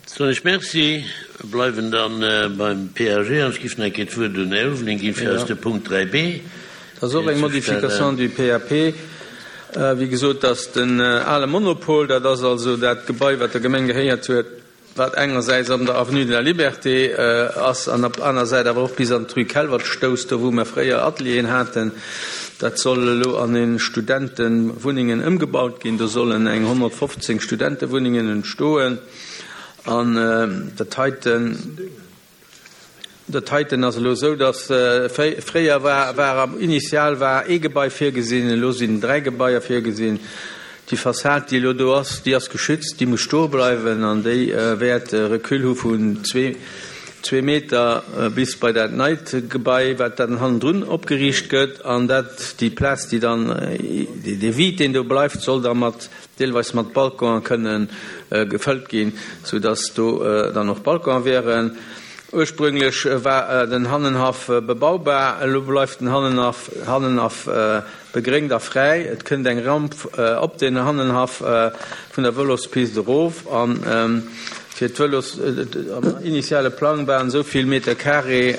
Soen ech Merci. Bleiwen dann beim PAG an ech giff nach eng Kéier d'Wuert un den Här Ulveling ginn, fir eis de Punkt 3b Dat ass och eng Modification du PAP. Wéi gesot, dass den ale Monopol, dat ass also dat Gebai, wat der Gemeng gehéiert huet, wat engersäits an der Avenue de la Liberté ass an op aner Säit awer och bis an d'Rue Kelvert stousst, do wou mer fréier Atelieren haten, dat soll elo an e Studentewunnengen ëmgebaut ginn. Do sollen eng 115 Studentewunnengen entstoen an dat heiten, Dat heiten ass elo esou, datt fréier war, war am Initial war ee Gebai virgesinn, elo sinn 3 Gebaier virgesinn. Déi Fassad, déi elo do ass, déi ass geschützt, déi muss stoe bleiwen an déi wäert e Recul hu vun zwee Meter bis bei dat neit Gebai, wat dann hannendrun opgeriicht gëtt. An dat, déi Plaz, déi dann, dee Vide, deen do bleift, soll da mat deelweis mat Balconen kënne gefëllt ginn, sou dass do dann och Balconen wären. Ursprünglech war den Hannenhaff bebaubar, elo bleift den Hannenhaff Hannenhaff begréngt a fräi. Et kënnt eng Ramp op den Hannenhaff vun der Vëlospist erof an fir d'Vëlos, am initiale Plang waren esou vill Meter carré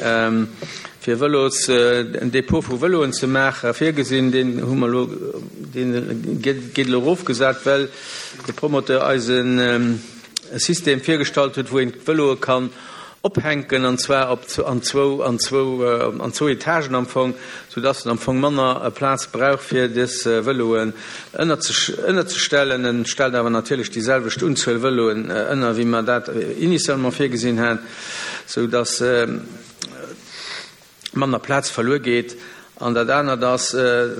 fir Vëlos, en Depot vu Vëloen ze maachen, virgesinn. Deen hu mer elo, deen gétt elo erofgesat, well de Promoteur eis e System virgestallt huet, wou een d'Vëloe kann ophänken, an zwar op an zwou, an zwou, an zwou Etagen am Fong, soudass en am Fong manner Plaz brauch, fir dës Vëloen ënnerzestellen. En stellt awer natierlech déi selwecht Unzuel Vëloen ënner, wéi mer dat initialement virgesinn haten, soudass manner Plaz verluer geet. An dat anert ass,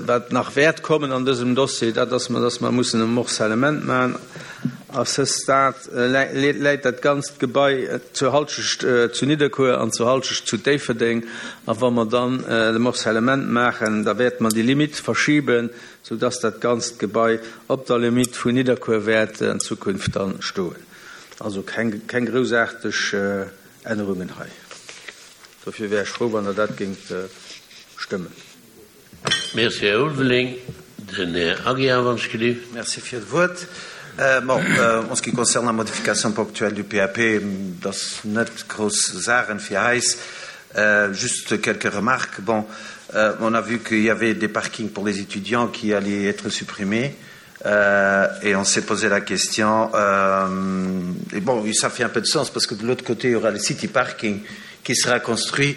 wat nach wäert kommen an dësem Dossier, dat ass, dass mer mussen e Morcellement maachen. A ce stade läit dat ganzt Gebai zur Halschecht zu Nidderkuer an zur Halschecht zu Déifferdeng. A wa mer dann de Morcellement maachen, da wäerte mer déi Limitt verschiben, soudass dat ganzt Gebai op der Limitt vun Nidderkuer wäert an Zukunft dann stoen. Also keng groussaarteg Ännerungen hei. Dofir wär ech frou, wann Der dat géingt stëmmen. Merci, Här Ulveling. Den Här Aguiar, wann ech gelift. Merci fir d'Wuert. Bon, en ce qui concerne la modification ponctuelle du PAP, dat ass net grouss Saachen fir eis. Juste quelques remarques. Bon, on a vu qu'il y avait des parkings pour les étudiants qui allaient être supprimés. Euh, et on s'est posé la question euh, et bon ça fait un peu de sens parce que de l'autre côté il y aura le city parking qui sera construit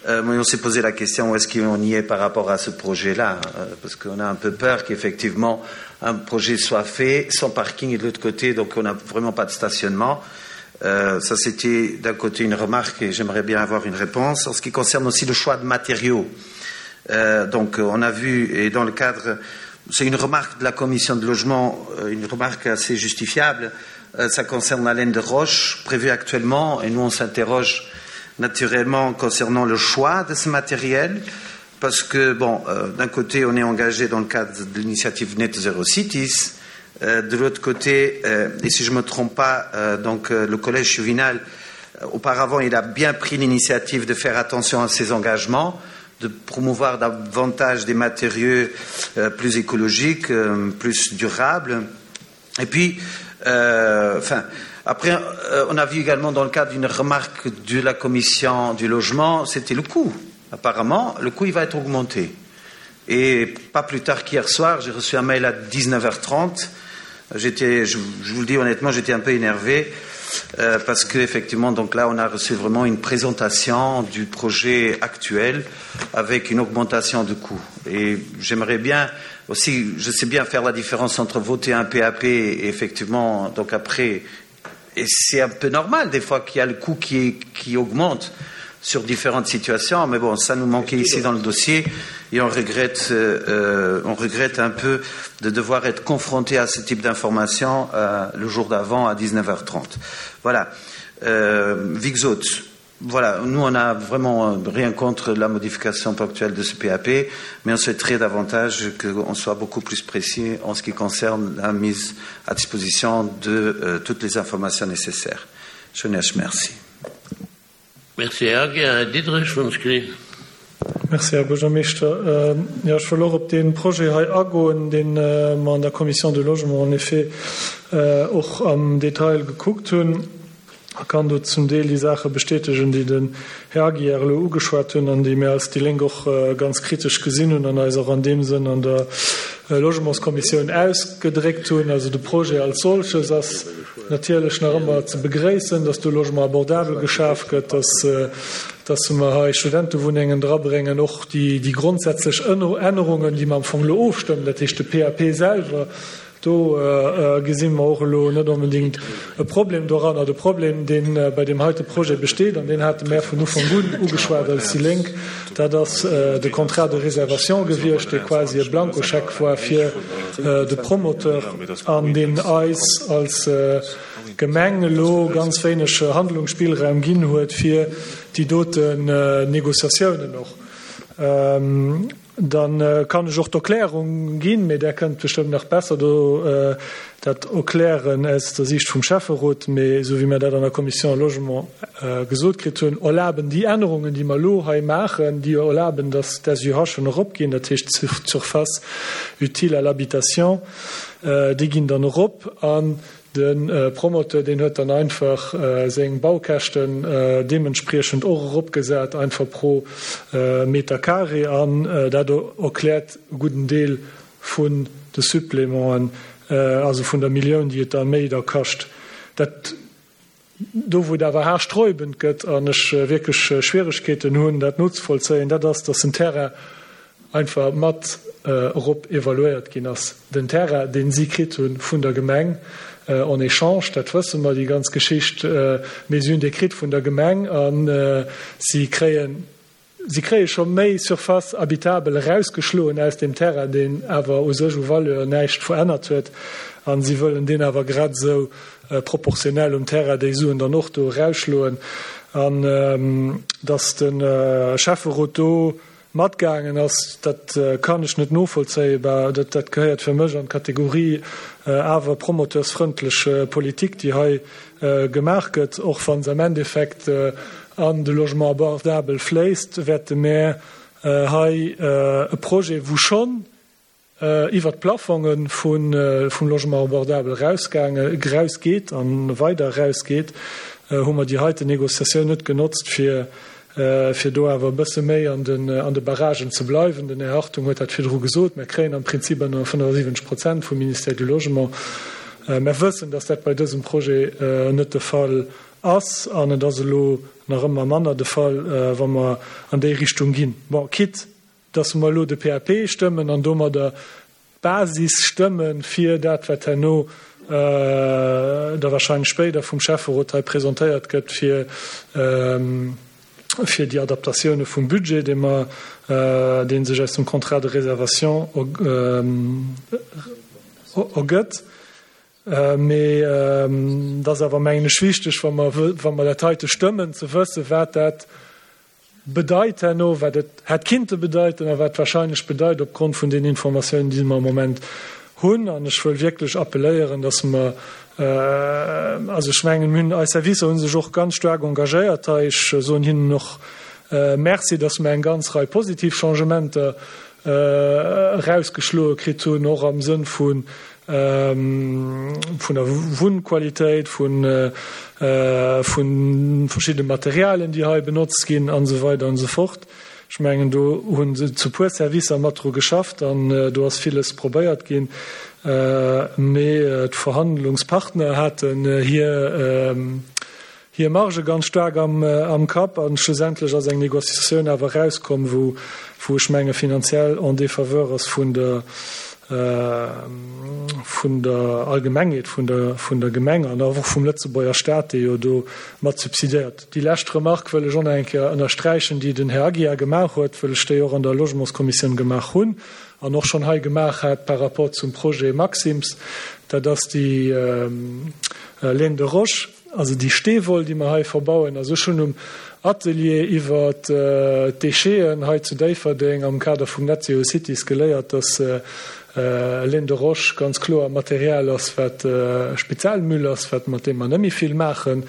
euh, mais on s'est posé la question où est-ce qu'on y est par rapport à ce projet là euh, parce qu'on a un peu peur qu'effectivement un projet soit fait sans parking et de l'autre côté donc on n'a vraiment pas de stationnement euh, ça c'était d'un côté une remarque et j'aimerais bien avoir une réponse en ce qui concerne aussi le choix de matériaux euh, donc on a vu et dans le cadre c'est une remarque de la commission de logement euh, une remarque assez justifiable euh, ça concerne la laine de roche prévue actuellement et nous on s'interroge naturellement concernant le choix de ce matériel parce que bon euh, d'un côté on est engagé dans le cadre de l'initiative net zero cities euh, de l'autre côté euh, et si je me trompe pas euh, donc euh, le collège juvénal euh, auparavant il a bien pris l'initiative de faire attention à ses engagements de promouvoir davantage des matériaux euh, plus écologiques euh, plus durables et puis euh, enfin après euh, on a vu également dans le cadre d'une remarque de la commission du logement c'était le coût apparemment le coût il va être augmenté et pas plus tard qu'hier soir j'ai reçu un mail à 19h30 j'étais je, je vous le dis honnêtement j'étais un peu énervé euh, parce que effectivement donc là on a reçu vraiment une présentation du projet actuel avec une augmentation de coûts et j'aimerais bien aussi je sais bien faire la différence entre voter un PAP et effectivement donc après et c'est un peu normal des fois qu'il y a le coût qui, qui augmente sur différentes situations mais bon ça nous manquait ici dans le dossier et on regrette euh, on regrette un peu de devoir être confronté à ce type d'information euh, le jour d'avant à 19h30 voilà euh, Vixot voilà nous on a vraiment euh, rien contre la modification ponctuelle de ce PAP mais on souhaiterait davantage qu'on soit beaucoup plus précis en ce qui concerne la mise à disposition de euh, toutes les informations nécessaires je merci Merci, Här Aguiar. Här Diderich, wann ech gelift. Merci, Här Buergermeeschter. Jo, ech wëll och op dee Projet hei agoen, dee mer an der Commission du Logement en effet och am Detail gekuckt hunn. A kann do zum Deel déi Saache bestätegen, déi den Här Aguiar elo ugeschwat hunn an déi mir als déi Lénk och ganz kritesch gesinn hunn an eis och an deem Sënn an der Logementskommissioun ausgedréckt hunn. Also de Projet als solches ass natierlech nach ëmmer ze begréissen, dass do Logement abordable geschaf gëtt, dass, dass mer hei Studentewunnengen drabréngen, och déi, déi grondsätzlech Ännerungen, déi mer am Fong elo ofstëmmen, dat heescht de PAP selwer, Do gesi mer och elo net onbedéngt e Problem doranner. De Problem, dee bei deem heite Projet besteet, an deen hate mär vun Ufank un ugeschwat als déi Lénk, dat ass de Contrat de réservation gewiescht, dee quasi e Blankoscheck war fir de Promoteur an deen eis als Gemeng elo ganz wéineg Handlungsspillraum ginn huet fir déi doten Négociatiounen och. Dann kann ech och d'Erklärung ginn, mee där kënnt bestëmmt nach besser do dat erklären aus der Siicht vum Schäfferot. Mee esou wéi mir dat an der Commission Logement gesot kritt hunn, erlaben déi Ännerungen, déi mer elo hei maachen, déi erlaben, dass d'SUHen eropginn, dat heescht d'Surface utile à l'habitation, déi ginn dann erop. An De Promoteur, deen huet dann einfach seng Baukäschten deementspriechend och eropgesat, einfach pro Meter carré. An dat erkläert e gudden Deel vun de Supplémenten, also vun der Millioun, déi et da méi da kascht. Dat, do wou et awer haarsträubend gëtt an ech wierklech Schwieregkeeten hunn, dat nozevollzéien, dat ass, datt den Terrain einfach mat erop evaluéiert ginn ass. Den Terrain, dee si kritt hu vun der Gemeng en échange, dat wësse mer, déi ganz Geschicht, mee si hunn dee kritt vun der Gemeng a si kréien, si kréie scho méi Surface habitable erausgeschloen aus deem Terrain, deen awer u sech u Valeur näischt verännert huet, a si wëllen deen awer grad esou proportionell um Terrain déi Suen dann och do erausschloen. An datt de Schäfferot do Matgaangen ass, dat kann ech net novollzéien. Bah, dat, dat gehéiert fir mech an d'Kategorie awer promoteursfrëndlech Politik, déi hei gemaach gëtt. Och wa se am Endeffekt an de Logement abordable fléisst, wäerte mär hei e Projet, wou schonn iwwert d'Plafonge vum Logement abordable erausgeet a weider erausgeet, hu mer déi heiten Négociatioun net genotzt, fir do awer e bësse méi an de Barragen ze bleiwen. Den Här Hartung huet dat virdru gesot. Mer kréien am Prinzip ënner 75 Prozent vum Ministère du Logement. Mer wëssen, dass dat bei dësem Projet net de Fall ass an et ass elo nach ëmmer manner de Fall, wa mer an déi Richtung ginn. Bon, quitte dass mer elo de PAP stëmmen an domadder d'Basis stëmme fir dat, wat herno da wahrscheinlech spéider vum Schäfferot hei presentéiert gëtt, fir, fir déi Adaptatioune vum Budget, dee mer, dee sech aus dem Contrat de réservation ergëtt. Mee et ass awer, mengen ech, wichteg, wa mer, wa mer dat heite stëmmen, ze wëssen, wat dat bedeit herno, wat et hätt kinnte bedeiten a wat wahrscheinlech bedeit opgrond vun den Informatiounen, déi mer am Moment hunn. An ech wëll wierklech appelléieren, dass mer, also ech mengen, mir hunn, eis Servicer hu sech och ganz staark engagéiert hei, ech soen hinnen och Merci, dass mer eng ganz Rei positiv Changementer erausgeschloe kritt hunn, och am Sënn vu vun der Wunnqualitéit, vu verschiddene Materialien, déi hei benotzt ginn an esou weider an esou fort. Ech mengen, do hunn zu puer Servicer mat dru geschafft an do ass villes probéiert ginn, mee d'Verhandlungspartner haten hir hir Marge ganz staark am Kapp an schlussendlech ass eng Négociatioun awer erauskomm, wou, wou ech menge finanziell en défaveur ass vun der, vun der Allgemengheet, vun der, vun der Gemeng an och vum Lëtzebuerger Stat, dee jo do mat subsidiéiert. Déi lescht Remarque wëll ech och nach eng Kéier ënnersträichen, déi den Här Aguiar gemaach huet, wëll ech déi och an der Logementskommissioun gemaach hunn an och schonn hei gemaach hat par rapport zum Projet Maxim's, dat ass déi Laine de roche. Also déi Steewoll, déi mer hei verbauen, also ech hunn um Atelier iwwer d'Décheten hei zu Déifferdeng am Kader vum Net Zero Cities geléiert, dass Laine de roche ganz kloer Material ass, wat Spezialmüll ass, wat mat deem mer net méi vill maachen,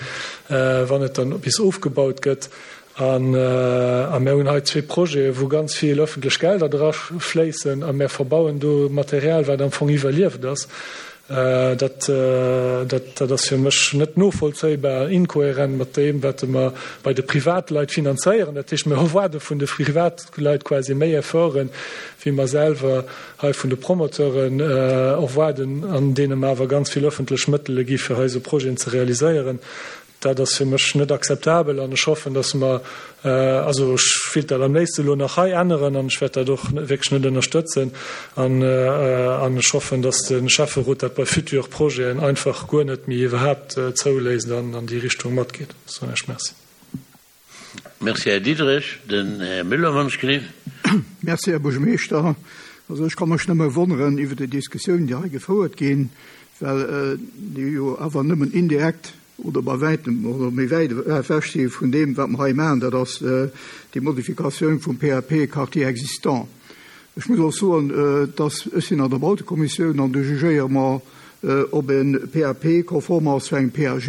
wann et dann bis ofgebaut gëtt. A mir hunn hei zwee Projete wou ganz vill öffentlech Gelder dra fléissen a mir verbauen do Material, wat am Fong iwwerlieft ass. Dat, dat, dat ass fir mech net novollzéibar, inkohärent mat deem, wat mer bei de Privatleit finanzéieren. Dat heescht, mir erwaarde vun de Privatleit quasi méi Efforten, wéi mer selwer hei vun de Promoteuren erwaarden, an deene mer awer ganz vill öffentlech Mëttele gi fir hei esou Projeten ze realiséieren. Dat ass fir mech net akzeptabel an ech hoffen, dass mer, also ech wéilt dat am léifste elo nach hei änneren an ech wäert dat och wierklech net ënnerstëtzen an an ech hoffen, dass de Schäfferot dat bei future Projeten einfach guer net méi iwwerhaapt zouléisst an an déi Richtung matgeet. Soen ech Merci. Merci, Här Diderich. Den Här Müller, wann ech gelift. Merci, Här Buergermeeschter. Also ech ka mech nëmme wonneren iwwer déi Diskussioun, déi hei gefouert ginn, well déi jo awer nëmmen indirekt oder bei wäitem oder méi wäit ewech si vun deem, wat mer hei maachen, dat ass déi Modifikatioun vum PAP Quartier existant. Ech muss och soen, dass ech sinn an der Bautekommissioun an do jugéiere mer, ob e PAP konform ass zu engem PAG.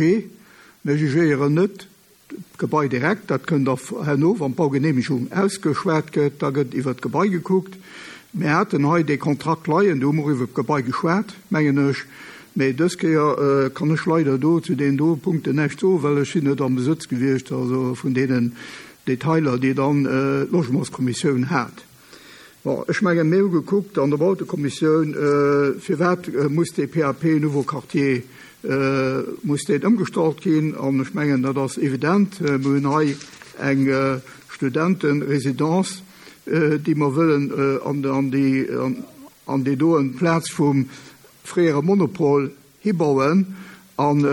Mir jugéieren net, D'Gebai direkt, dat kënnt da herno, wann d'Baugeneemegung ausgeschwat gëtt, da gëtt iwwert d'Gebai gekuckt. Mir haten hei dee Kontrakt leien, do hu mer och iwwert d'Gebai geschwat, mengen ech. Mee dës Kéier kann ech leider do zu deenen do Punkten näischt soen, well ech sinn net am Besëtz gewiescht, also vun deenen Detailer, déi dann d'Logementskommissioun hat. Bon, ech mengen, mir hu gekuckt an der Bautekommissioun, firwat muss dee PAP Nouveau Quartier, muss deen ëmgestallt ginn? An ech mengen, dat ass evident. Mir hunn hei eng Studenteresidence, déi mer wëllen an déi, an déi doen Plaz vum fréiere Monopol hibauen. An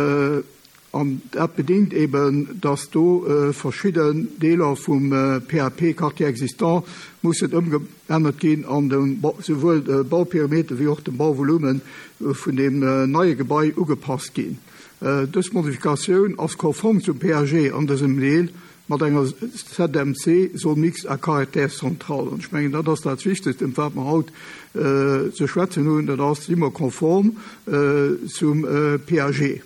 An dat bedéngt eben, dass do verschidden Deeler vum PAP Quartier existant mussen ëmgeännert ginn an dem souwuel de Bauperimeter wéi och dem Bauvolumen vun deem neie Gebai ugepasst ginn. Dës Modifikatioun ass konform zum PAG an dësem Deel mat enger ZMC, Zone mixte à caractère central. An ech mengen, dat ass dat Wichtegst, ëm wat mer haut ze schwätzen hunn, dat ass, Si mer konform zum PAG?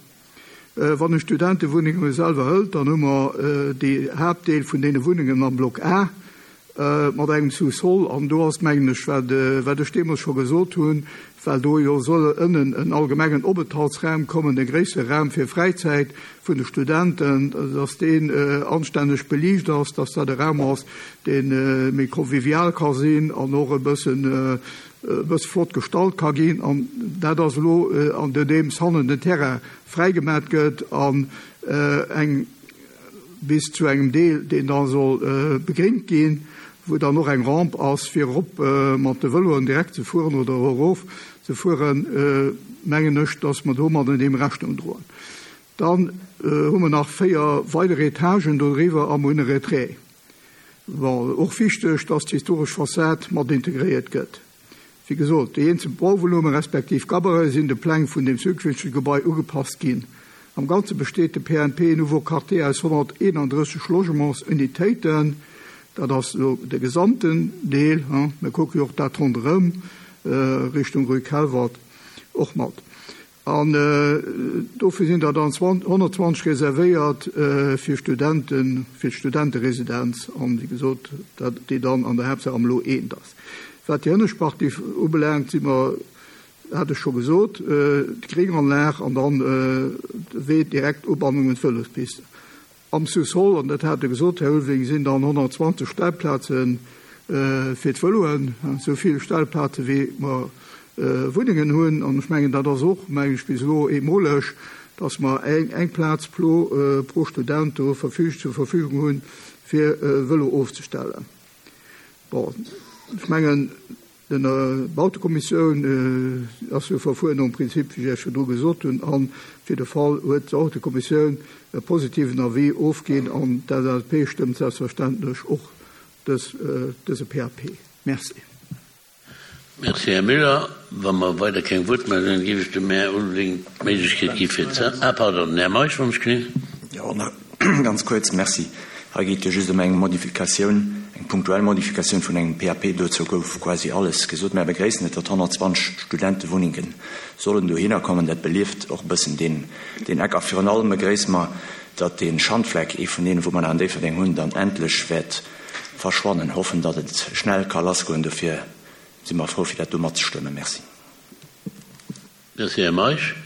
Wann een d'Studentewunnenge selwer hëlt, dann hu mer dee Haaptdeel vun deene Wunnengen am Block A mat engem Sous-sol. An do ass, mengen ech, wat wat ech deemools scho gesot hunn, well do jo soll ënnen en allgemengen Openthaltsraum kommen, e gréissere Raum fir Fräizäit vun de Studenten, dass deen anstänneg beliicht ass, dass dat e Raum ass, dee méi convivial ka sinn an och e bëssen e bësse flott gestalt ka ginn, an dat ass elo andeems hannen den Terrain fräigemat gëtt an eng bis zu engem Deel, deen da soll begréngt ginn, wou dann och eng Rampe ass, fir erop mat de Vëloen direkt ze fueren oder erof ze fueren, mengen ech, dass mer domadden deem Rechnung droen. Dann hu mer nach 4 weider Etagen dodriwwer a mer hunn e Retrait. Bon, och wichteg, dass d'historesch Fassad mat integréiert gëtt. Wéi gesot, déi eenzel Bauvolume respektiv Gabarite sinn de Pläng vun deem zukünftege Gebai ugepasst ginn. Am Ganze besteet de PNP Nouveau Quartier aus 131 Logementsunitéiten. Dat ass elo de gesamten Deel, hein. Mir kucke jo och dat ronderëm Richtung Rue Calvert och mat. An dofir sinn der dann 120 reservéiert fir Studenten, fir d'Studenteresidenz an, wéi gesot, dat, déi dann an der Haaptsaach am Lo eent ass. Wat déi hënnescht Partie ubelaangt, si mer, hat ech scho gesot, d'Grénganlag an dann de Wee direkt Ubannung un d'Vëlospiste. Am Sous-sol, an dat hat Der gesot, Här Ulveling, sinn dann 120 Stellplaze fir d'Vëloen, esou vill Stellplaze wéi mer Wunnengen hunn. An ech mengen, dat ass och, mengen ech, bis elo eemoleg, dass mer eng Plaz pro Student do zur Verfügung hunn, fir e Vëlo ofzestellen. Bon, ech mengen, D'Bautekommissioun ass jo verfuer nom Prinzip, wéi ech Iech virdru gesot hunn, a fir de Fall huet d'Bautekommissioun e positiven Avis ofginn an d'LSAP stëmmt selbstverständlech och dëse PAP. Merci. Merci, Här Müller. Wa mer weider keng Wuertmeldungen hunn, géif ech dem Här Ulveling d'Méiglechkeet gi fir ze. Ah, pardon, den Här Meisch, wann ech gelift. Jo, nach ganz kuerz. Merci. Hei geet jo just ëm eng Modifikatioun, eng punktuell Modifikatioun vun engem PAP. Dozou gouf quasi alles gesot. Mär begréissen et, datt 120 Studentewunnenge sollen dohinner kommen. Dat belieft och e bëssen deen, deen Eck. A virun allem begréisse mer, datt dee Schandfleck, ee vun deenen, wou mer nach an Déifferdeng hunn, dann endlech wäert verschwannen. Hoffen, datt et schnell ka lassgoen. Dofir si mer frou, fir dat do matzestëmmen. Merci. Merci, Här Meisch.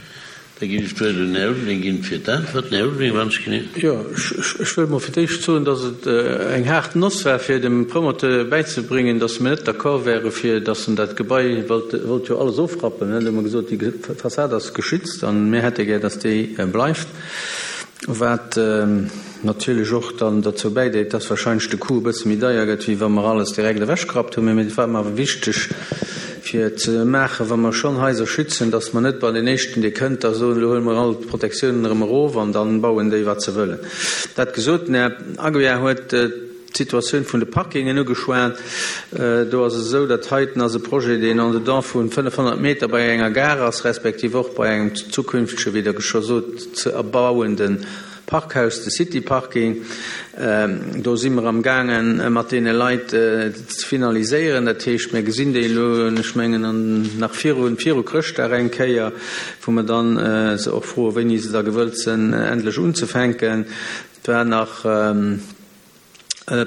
Da ginn ech d'Wuert un den Här Ulveling ginn fir d'Äntwerten. Här Ulveling, wann ech genee. Jo, ech wëll mol fir d'éischt soen, dass et eng haart Noss war, fir dem Promoteur bäizebréngen, dass mir net d'accord wäre fir dass en dat Gebai wollt, wollt jo alles ofrappen. Do hu mer gesot, déi Fassad ass geschützt an mir hätte gär, dass déi bleift. Wat natierlech och dann derzou bäidréit, dass wahrscheinlech de Coût e bësse méi deier gëtt, wéi wa mer alles direkt ewechgerappt hunn. Mee et war mer awer wichteg fir ze maachen, wa mer schonn Haiser schützen, dass mer net bei den éischten, dee kënnt, da soen, elo huele mer all d'Protektiounen erëm erof an da bauen déi, wat se wëllen. Dat gesot, den Här Aguiar huet d'Situatioun vun de Parkingen ugeschwat. Do ass et esou, dat heiten ass e Projet, deen en dedans vu 500 Meter bei enger Gare ass, respektiv och bei engem zukünftege, wéi Der scho sot, ze erbauende Parkhaus, de City Parking. Do si mer amgaangen, mat deene Leit ze finaliséieren. Dat heescht, mir gesinn déi elo, ech mengen, nach viru viru Chrëschtdag eng Kéier, wou mer dann se och froen, wéini se da gewëllt sinn, endlech unzefänken. Et war nach.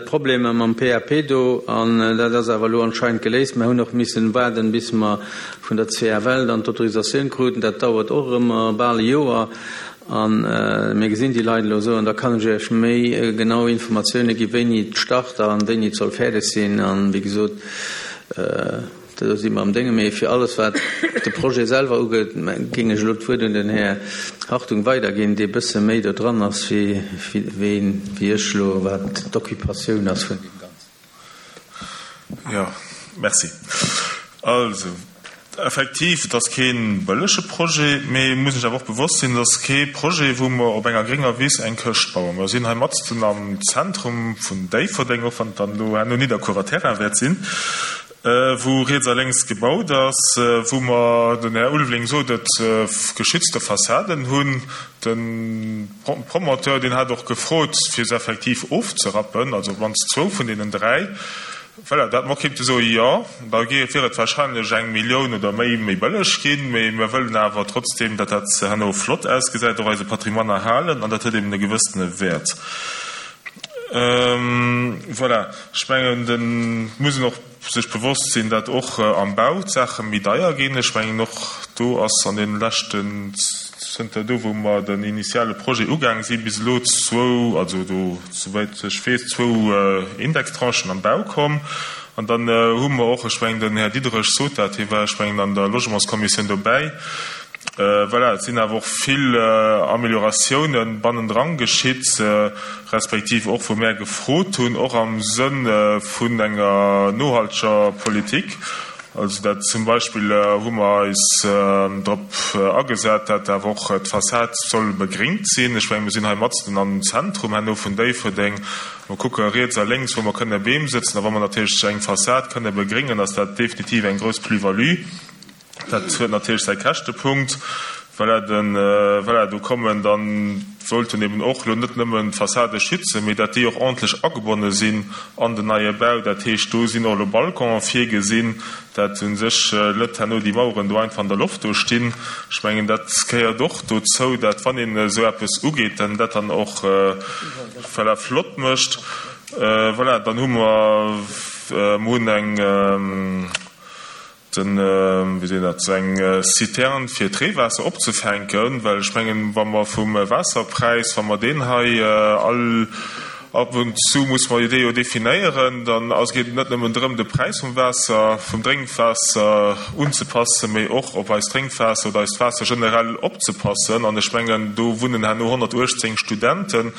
Problemer mam PAP do, an dat ass awer elo anscheinend geléist. Mer hunn och missen waarden, bis mer vun der CFL dann d'Autorisatioun kruten. Dat dauert och ëmmer bal e Joer. A mir gesinn déi Leit elo esou, an da kann ech Iech méi genau Informatioune gi wéini et start a wéini et soll fäerdeg sinn. A wéi gesot, Do si mer am Dénge. Mee fir alles, wat de Projet selwer ugeet, géing ech elo d'Wuert un den Här Hartung weiderginn, dee bësse méi do dran ass wéi ech elo, wat d'Occupatioun ass vun deem Ganzen. Jo, merci. Also, effektiv, et ass kee bëllege Projet, mee et muss een sech awer och bewosst sinn, et ass kee Projet, wou mer op enger grénger Wiss eng Këscht bauen. Mer sinn hei matzen am Zentrum vun Déifferdeng, och wann et dann elo herno Nidderkuerer Terrain wäert sinn. wou riets a lénks gebaut ass, wou mer, den Här Ulveling sot et, geschützte Fassaden hunn. De Promoteur, deen hat och gefrot, fir se effektiv ofzerappen, also op d'mannst zwou vun deenen dräi. Voilà, dat mer kéinte soen, jo, da wier et wahrscheinlech eng Millioun oder méi méi bëlleg ginn, mee mir wëllen awer trotzdeem, datt dat herno flott ausgesäit, och eise Patrimoine erhalen, an dat huet eben e gewëssene Wäert. Voilà, ech mengen, et muss een och sech bewosst sinn, datt och am Bau d'Saache méi deier ginn. Ech mengen, och do ass an deene leschten, zënter do wou mer den initiale Projet ugaange sinn, bis elo zwou, also do, souwäit ech weess, zwou Indextranchen am Bau komm. An dann hu mer och, ech mengen, den Här Diderich sot dat, hie war, ech mengen, an der Logementskommissioun dobäi, Voilà, et sinn awer och vill Amelioratiounen bannendran geschitt, respektiv och wou mär gefrot hunn, och am Sënn vun enger nohalteger Politik. Also dat zum Beispill hu mer eis drop agesat, dat awer och d'Fassad soll begringt sinn. Ech mengen, mir sinn hei matzen am Zentrum herno vun Déifferdeng. Mer kucke riets a lénks, wou mer kënne Beem sëtzen. A wa mer natierlech eng Fassad kënne begringen, ass dat definitiv eng grouss Plus-value. Dat huet natierlech säi Käschtepunkt. Voilà, den, voilà, do kommen dann, sollten eben och elo net nëmmen d'Fassade schützen, mee dat déi och ordentlech agebonne sinn an den neie Bau. Dat heescht, do sinn och elo Balconen virgesinn, dat u sech net herno déi Maueren do einfach an der Loft do stinn. Ech mengen, dat gehéiert och dozou, dat wann een esou eppes ugeet, dann dat dann och, voilà, flott mécht. Voilà, dann hu mer, mer hunn eng, Den, wéi seet een dat, eng Citerne fir d'Reewaasser opzefänken, well ech mengen, wa mer vum Waasserpräis, wa mer deen hei all, ab und zu muss mer dee jo definéieren, dann ass, geet et net nëmmen drëm, de Präis vum Waasser, vum Drénkwaasser unzepassen, mee och op eist Drénkwaasser oder eist Waasser generell opzepassen. An ech mengen, do wunnen herno 118 Studenten.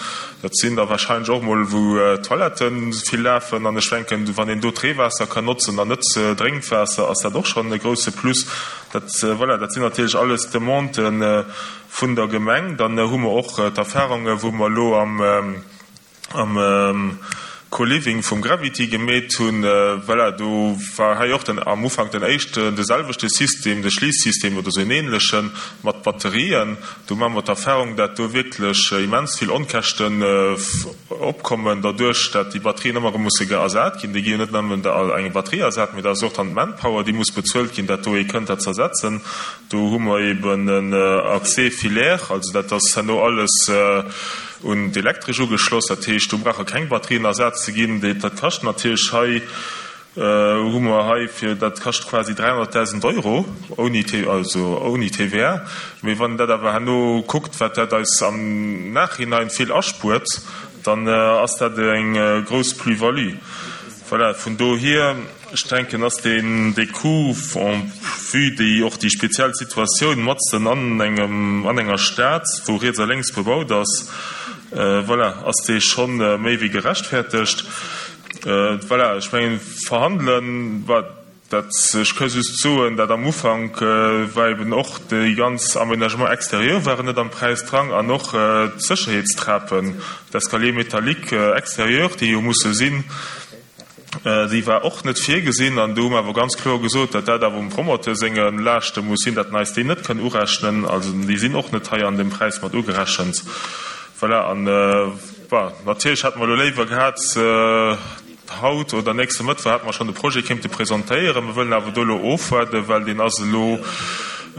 Dat sinn der wahrscheinlech och mol, wou d'Toilette vill lafen. An ech denken, wann een do d'Reewaasser kann notzen an net d'Drénkwaasser, ass dat och schonn e grousse Plus. Dat, voilà, dat sinn natierlech alles Demandë vun der Gemeng. Dann hu mer och d'Erfahrunge wou mer elo am, am Co-Living vum Gravity gemeet hunn. Voilà, do war hei och den, am Ufank den éischten, de selwechte System, de Schliissystem oder esou en ähnlechen mat Batterien. Do maache mer d'Erfahrung, dat do wierklech immens vill Onkäschten opkommen, derduerch dat déi Batterien ëmmer erëm musse ersat ginn. Déi gi jo net nëmmen eng Batterie ersat, mee dat ass och dann d'Manpower, déi muss bezuelt ginn, dat do ee kënnt dat z'ersetzen. Do hu mer eben en Accès filaire, also dat ass herno alles un d'Elektresch ugeschloss. Dat heescht, do brauche keng Batterien ersat ze ginn. Dat kascht natierlech hei. Hu mer hei fir, dat kascht quasi 300.000 Euro ouni, also ouni TVA. Mee wann een dat awer herno kuckt, wat dat eis am Nachhinein vill aspuert, dann ass dat eng grouss Plus-value. Voilà, vun dohier, ech denken, ass deen, dee Coût en vue déi och déi speziell Situatioun matzen an engem, an enger Stad, wou riets a lénks bebaut ass, voilà, ass dee scho méi wéi gerechtfertegt. Voilà, ech mengen, verhandelen, dat, ech ka just soen, dat am Ufank war eben och déi ganz Aménagements extérieurs waren net am Präis dran an och d'Sécherheetstrapen, d'Escaliers métalliques extérieurs, déi jo musse sinn, déi war och net virgesinn. An do hu mer awer ganz kloer gesot, datt dat awer um Promoteur senge Laaschte muss sinn, datt en eis déi net kënn urechnen. Also déi sinn och net hei an deem Präis mat ugerechent. Voilà, an Bon, natierlech hätte mer elo léiwer gehat, haut oder nächste Mëttwoch hätte mer schonn de Projet kéinte presentéieren. Mer wëllen awer do elo ofwaarden, well deen ass elo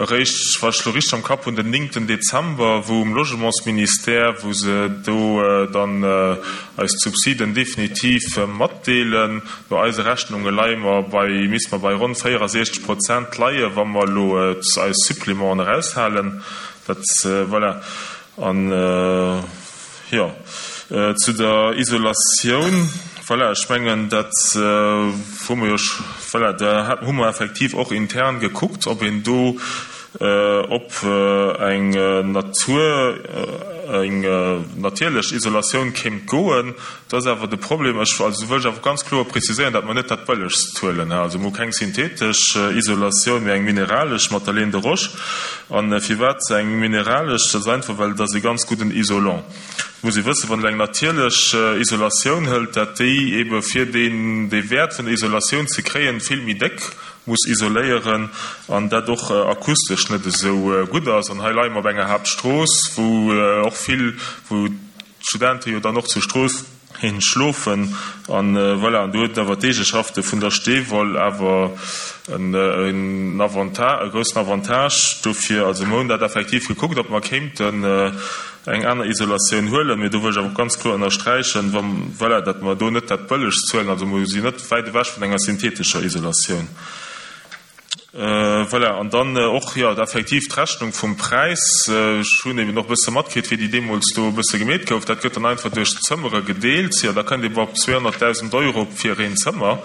eréischt, wa ech elo richteg am Kapp hunn, den néngten Dezember, wou um Logementsministère, wou se do dann eis d'Subsiden definitiv matdeelen. No eise Rechnunge leie mer bei, misste mer bei ronn 64 Prozent leien, wa mer elo eis Supplémenten eraushalen. Dat, voilà. An, jo, zu der Isolatioun, voilà, ech mengen, dat hu mer jo, voilà, da hu mer effektiv och intern gekuckt, ob een do op eng Natur, eng natierlech Isolatioun kéint goen. Dat ass awer de Problem. Ech, also wëll ech awer ganz kloer preziséieren, datt mer net dat Bëllegst huelen. Also mer hu keng synthetesch Isolatioun, mee eng mineralesch mat der Laine de roche. A firwat eng mineralesch? Dat ass einfach, well et ass e ganz gudden Isolant. Et muss ee wëssen, wann een eng natierlech Isolatioun hëlt, dat déi ebe fir deen, dee Wäert vun der Isolatioun ze kréien, vill méi déck muss isoléieren an dat och akustesch net esou gutt ass. An hei leie mer op enger Haaptstrooss, wou och vill, wou d'Studente jo dann och zur Strooss hin schlofen an voilà, an do huet awer d'Eegeschafte vun der Steewoll awer en Avantage, e groussen Avantage dofir. Also mer hunn dat effektiv gekuckt, ob mer kéinten eng aner Isolatioun huelen, mee do wëll ech awer och ganz kloer ënnersträichen, wa voilà, datt mer do net dat Bëllegst huelen, also mer sinn net wäit ewech vun enger synthetescher Isolatioun. Voilà, an dann och, jo, effektiv d'Rechnung vum Präis. Ech hunn eben och e bësse matkritt, wéi déi deemools do e bësse gemeet gouf. Dat gëtt dann einfach duerch d'Zëmmere gedeelt. Jo, da kënnt ee op 200.000 Euro fir een Zëmmer.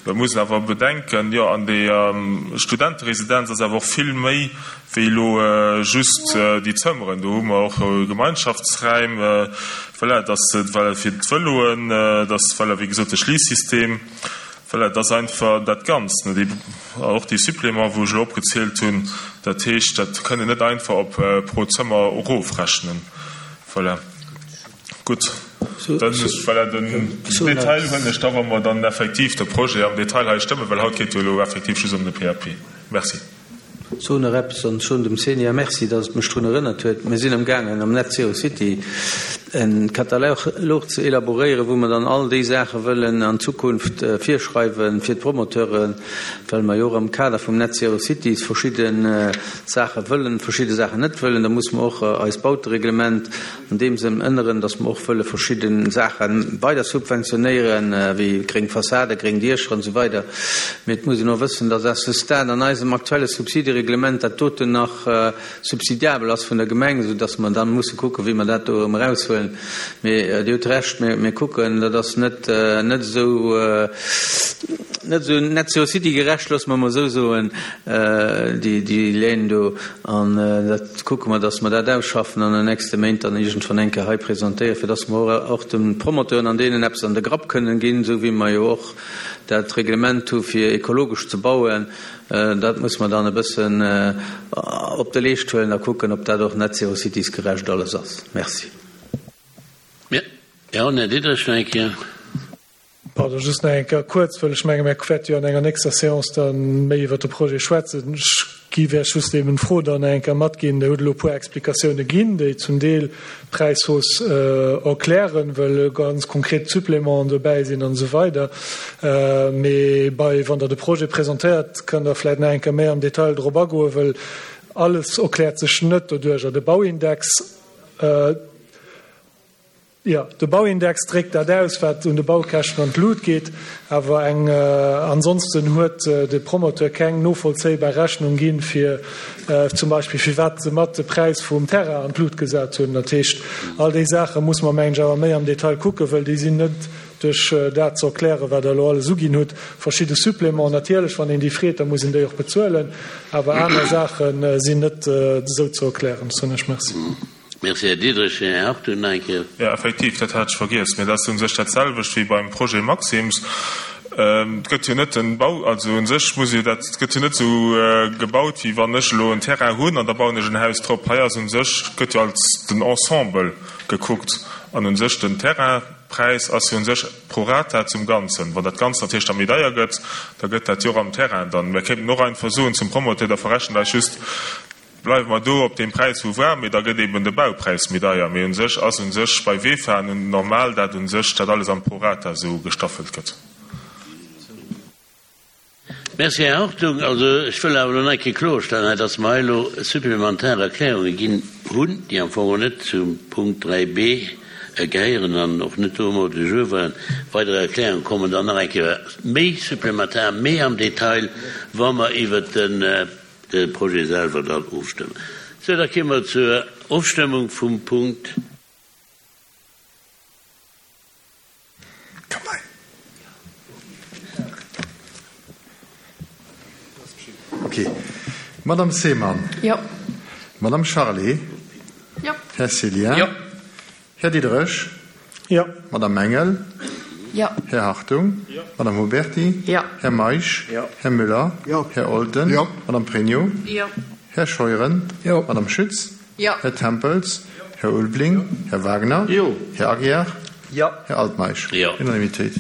Et muss een awer bedenken, jo, an deer Studenteresidenz ass awer och vill méi wéi elo just déi Zëmmeren. Do hu mer och Gemeinschaftsräim, voilà, dass, voilà, fir d'Vëloen, dass, voilà, wéi gesot, de Schliissystem. Voilà, et ass einfach dat Ganzt, ne, déi, och déi Suppléments, wou ech elo opgezielt hunn. Dat heescht, dat kënnt een net einfach op pro Zëmmer erofrechnen. Voilà. Gutt, dann, voilà, den Detail huelen ech da, wa mer dann effektiv de Projet am Detail hei stëmmen, well haut geet jo elo effektiv just ëm de PAP. Merci. Soen nach eppes an soen dem Xenia Merci, dass et mech drun erënnert huet. Mir sinn amgaangen am Net Zero City e Katalog ze elaboréieren, wou mer dann all déi Saache wëllen an Zukunft virschreiwe fir d'Promoteuren, well mer jo och am Kader vum Net Zero Cities verschidde Saache wëllen, verschidde Saachen net wëllen. Da musse mer och eist Bautereglement an deem Sënn ënneren, dass mer och wëlle verschidde Saache weider subventionéieren, wéi gréng Fassaden, gréng Diecher an esou weider. Mee et muss een och wëssen, dass à ce stade an eisem aktuelle Subsidereglement dat doten nach subsidiabel ass vun der Gemeng, soudass mer dann musse kucken, wéi mer dat do erëm eraushuelen. Mee Dir hutt Recht, mir kucken, dat ass net net esou net esou net-zero-city-gerecht, loosse mer emol esou soen, déi Léin do. An dat kucke mer, dass mer dat ausschaffen an den nächste Méint dann iergendwann eng Kéier hei presentéieren, fir dass mer och de Promoteuren an deenen eppes an de Grapp kënnen ginn, esou wéi mer jo och dat Reglement hu fir ekologesch ze bauen. Dat muss mer dann e bëssen op de Leescht huelen a kucken, ob dat och Net-Zero-Cities-gerecht alles ass. Merci. Jo, Här Diderich, nach eng Kéier. Pardon, just nach eng Kéier kuerz, well ech menge mir wäerte jo an enger nächster Séance da méi iwwert de Projet schwätzen. Ech géif Iech just eben d'Fro dann nach eng Kéier matginn, Dir hutt elo e puer Explikatioune ginn, déi zum Deel d'Präishausse erklären, well ganz konkret Supplémenten dobäi sinn an esou weider. Mee bei, wann Der de Projet presentéiert, kënnt Der vläicht nach eng Kéier méi am Detail drop agoen, well alles erkläert sech net doduercher. De Bauindex. Jo, de Bauindex dréckt dat aus, wat un de Baukäschten an d'Lut geet, awer eng ansonsten huet de Promoteur keng novollzéibar Rechnung ginn, fir zum Beispill firwat se mat de Präis vum Terrain an d'Lut gesat hunn. Dat heescht, all déi Saache muss mer, mengen ech, awer méi am Detail kucken, wëll déi sinn net duerch dat ze erklären, wat Der elo alles uginn hutt. Verschidde Suppléments, natierlech, wann een déi freet, da muss een déi och bezuelen, awer aner Saache sinn net esou ze erklären. Soen ech Merci. Merci, Här Diderich. Här Hartung nach eng Kéier. Jo, effektiv, dat hat ech vergiess. Mee dat ass u sech dat selwecht wéi beim Projet Maxim's. Et gëtt jo net den Bau, also u sech muss jo dat, et gëtt jo net esou gebaut, wéi wann ech elo en Terrain hunn an da bauen ech en Haus drop. Hei ass u sech, gëtt jo als den Ensemble gekuckt an u sech den Terrainpräis ass jo u sech pro rata zum Ganzen. Wann dat Ganzt natierlech da méi deier gëtt, da gëtt dat jo och am Terrain dann. Mir kéinten och einfach soen zum Promoteur, da verrechent eis just, Bleiwe mer do op deem Präis wou war, mee da gëtt eben de Baupräis méi deier. Mee un sech ass un sech bei Vefa normal, dat un sech dat alles am Prorata esou gestaffelt gëtt. Merci, Här Hartung. Also ech wëll awer elo nach eng Kéier kloerstellen hei, dass mer hei elo supplementar Erklärunge ginn hunn, déi am Fong och net zum Punkt 3b gehéieren an och net do um Ordre du jour waren. Weider Erklärunge kommen dann nach eng Kéier méi supplementar, méi am Detail, wa mer iwwert den De Projet selwer dann ofstëmmen. Sou, da kéime mer zur Ofstëmmung vum Punkt. Ok. Madame Seemann. Jo. Madame Charlé. Jo. Här Cillien. Jo. Här Diderich. Jo. Madame Engel. Jo. Här Hartung. Jo. Madame Huberty. Jo. Här Meisch. Jo. Här Müller. Jo. Här Olten. Jo. Madame Pregno. Jo. Här Scheuren. Jo. Madame Schütz. Jo. Här Tempels. Här Ulveling. Här Wagner. Jo. Här Aguiar. Jo. Här Altmeisch. Jo. Unanimitéit.